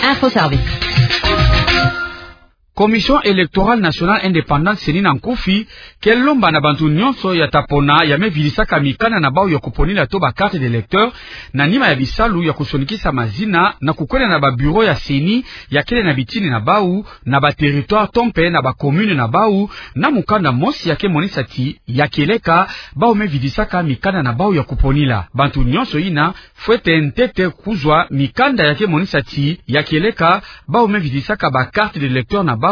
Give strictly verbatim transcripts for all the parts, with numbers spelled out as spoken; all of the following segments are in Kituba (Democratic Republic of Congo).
Info Service. Commission Électorale Nationale Indépendante, C E N I na nkufi, ke lomba na bantu nyonso ya ta pona ya me vidisaka mikanda na bau ya kuponila to ba carte d'électeur, na nima ya bisalu ya kusonikisa mazina na kukwenda na ba bureau ya C E N I ya kele na bitini na bau, na ba territoire to mpe na ba commune na bau, na mukanda mosi ya ke monisa ti ya kieleka bau me vidisaka mikanda na bau ya kuponila. Bantu nyonso yina fwete ntete kuzwa mikanda ya ke monisa ti ya kieleka bau me vidisaka ba carte d'électeur na bau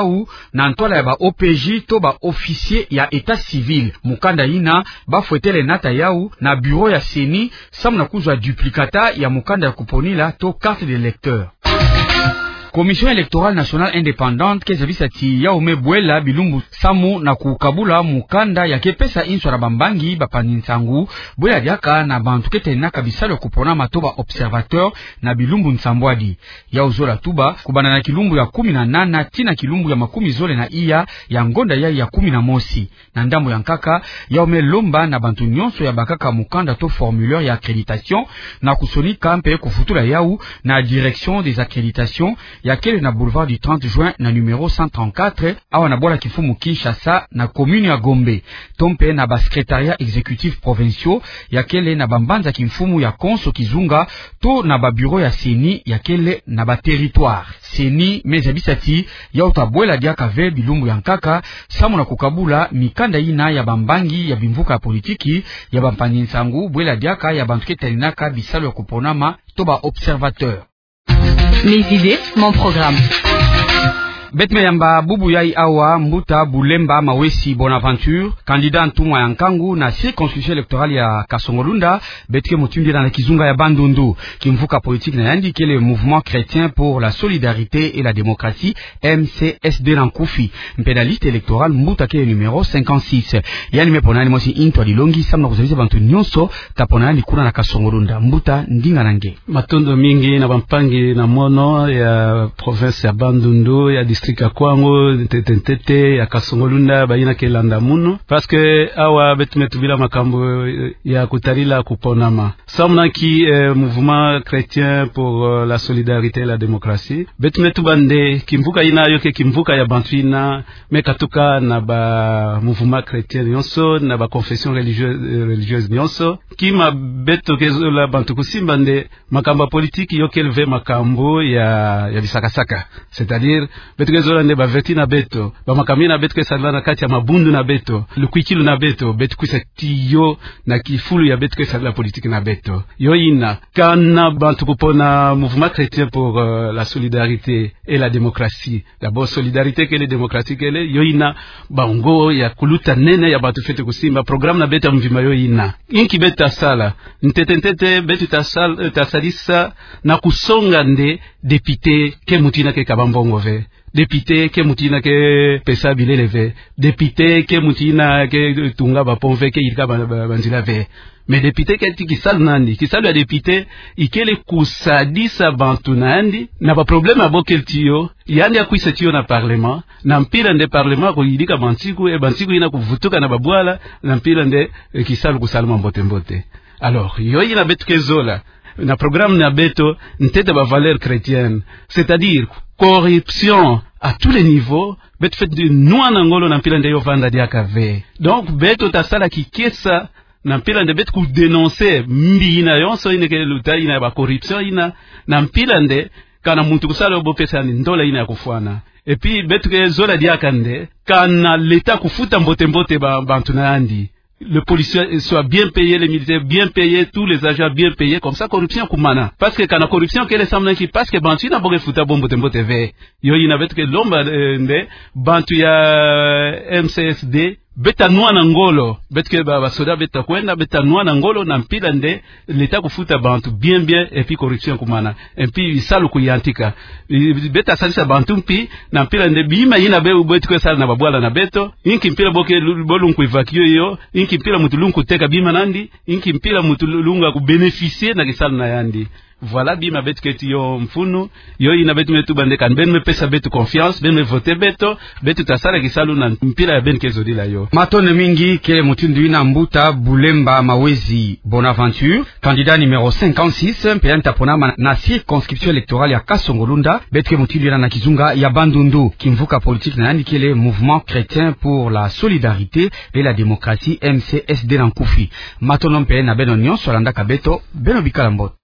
na ntwala ya ba O P J to ba officier ya état civil. Mukanda yina ba fwetele nata yau na bureau ya C E N I samu na kuzwa duplicata ya mukanda ya kuponila to carte d'électeur. Commission Électorale Nationale Indépendante ke zabisa ti yau me bwela bilumbu samu na kukabula mukanda ya ke pesa inswa na bambangi, bapanzi nsangu, bwela diaka na bantu ke taninaka bisalu ya kuponama to ba observateur na bilumbu nsambwadi. Yau zola tuba kubanda na kilumbu ya kumi na nana tii na kilumbu ya makumi zole na iya ya ngonda yai ya kumi na mosi. Na ndambu ya nkaka, yau me lomba na bantu nyonso ya bakaka mukanda to formulaire ya accréditation na kusonika mpe kuvutula yau na direction des accréditations ya kele na boulevard du trente juin na numéro cent trente-quatre, awa na bwala kimfumu Kinshasa na commune ya Gombe, to mpe na ba secrétariats exécutifs provinciaux ya kele na bambanza kimfumu ya konso kizunga, to na ba bureau ya C E N I ya kele na ba territoire. C E N I me zabisa ti yau ta bwela diaka ve bilumbu ya nkaka samu na kukabula mikanda yina ya bambangi ya bimvuka ya politiki, ya bampanzi nsangu, bwela diaka ya bantu ke taninaka bisalu ya kuponama to ba observateur. Mes idées, mon programme. Beto me yamba bubu yai awa mbuta Bulemba Mawesi Bonaventure, candidat ntumwa ya nkangu na circonscription électorale ya Kasongo-Lunda, beto ke mutindu yena na kizunga ya Bandundu. Kimvuka politique na yandi kele Mouvement Chrétien pour la Solidarité et la Démocratie, M C S D na nkufi. Mpe na liste électorale mbuta ke numéro cinquante-six. Yandi me pona yandi mosi ntwadi longi samu na kuzabisa bantu nyonso ta pona yandi kuna na Kasongo-Lunda. Mbuta, ndinga na nge. Matondo mingi na bampangi na mono ya province ya Bandundu, ya district ya Kwango, ntete ntete ya Kasongo-Lunda, bayina ke landa munu. Parce que awa beto me tubila makambu, eh, ya kutalila kuponama. Samu na nki, eh, Mouvement Chrétien pour, euh, la Solidarité et la Démocratie, beto me tuba nde kimvuka yina yo ke kimvuka ya bantu yina me katuka na ba mouvement chrétien nyonso, na ba confession religieuse, euh, religieuse nyonso. Kima beto ke zola bantu kusimba nde makambu ya politique yo kele ve makambu ya, ya bisakasaka. C'est-à-dire, beto ke zola nde ba vertu na beto, ba makambu yina beto ke sadila na kati ya mabundu na beto, lukwikilu na beto, beto kwisa tia yo na kifulu ya beto ke sadila politique na beto. Yo yina, kana bantu kupona Mouvement Chrétien pour, euh, la Solidarité et la Démocratie. D'abord, solidarité kele, démocratie kele, yo yina bango ya kuluta nene ya bantu fwete kusimba. Programme na beto ya mvimba yo yina. Inki beto ta sala? Ntete ntete, beto ta sal-, ta sadisa na kusonga nde député ke muntu yina ke kaba mbongo ve. Député ke muntu yina ke pesa bilele ve. Député ke muntu yina ke tunga ba pont ve, ke yirika ba, ba, banzila ve. Mais député keti kisalu na yandi, kisalu ya député, ikele kusadisa bantu na yandi na ba problème ya bo kele tiyo, yandi akwisa tiyo na parlement, na mpila nde parlement kuyirika bansiku, e bansiku yina kuvutuka na babwala, na mpila nde, e, kisalu kusalama mbote mbote. Alors, yo yina beto ke zola na programme na beto, ntete ba valeurs chrétiennes, c'est-à-dire corruption à tous les niveaux, beto fwete nwana ngolo na mpila nde yo vanda diaka ve. Donc, beto ta sala kikesa na mpila nde beto kudénoncer mbi yina yonso yina ke luta yina ba corruption yina, na mpila nde kana muntu kusala yo bo pesa yandi ndola yina ya kufwana. Et puis, beto ke zola diaka nde kana l'État kufuta mbote mbote ba, bantu na yandi. Les policiers soient bien payés, les militaires bien payés, tous les agents bien payés, comme ça corruption kumana. Parce que kana corruption kele samu na nki, parce que bantu yina bo ke futa bo mbote mbote ve. Yo yina beto ke lomba, eh, nde bantu ya M C S D, beto ta nwana ngolo, beto ke ba, ba soda beto ta kwenda, beto ta nwana ngolo na mpila nde l'État kufuta bantu bien bien, et puis corruption kumana. Et puis bisalu kuyantika. I, beto ta sadisa bantu mpi na mpila nde bima yina be, beto ke sala na babwala na beto, inki mpila bo ke lu-, bo lungu évacuer yo, inki mpila muntu lungu teka bima na yandi, inki mpila muntu lu-, lungu ku bénéficier na kisalu na yandi. Voilà bima beto keti yo mfunu. Yo yina beto me tuba nde kani beno me pesa beto confiance, beno me voter beto, beto ta sala kisalu na mpila ya beno ke zodila yo. Matondo mingi. Kele mutindu yina Mbuta Bulemba Mawezi Bonaventure, candidat numéro cinquante-six, mpe yandi ta ponama na circonscription électorale ya Kasongo-Lunda, beto ke mutindu yina na kizunga ya Bandundu. Kimvuka politique na yandi kele Mouvement Chrétien pour la Solidarité et la Démocratie, M C S D na nkufi. Matondo mpe na beno nyonso landaka beto, beno bikala mbote.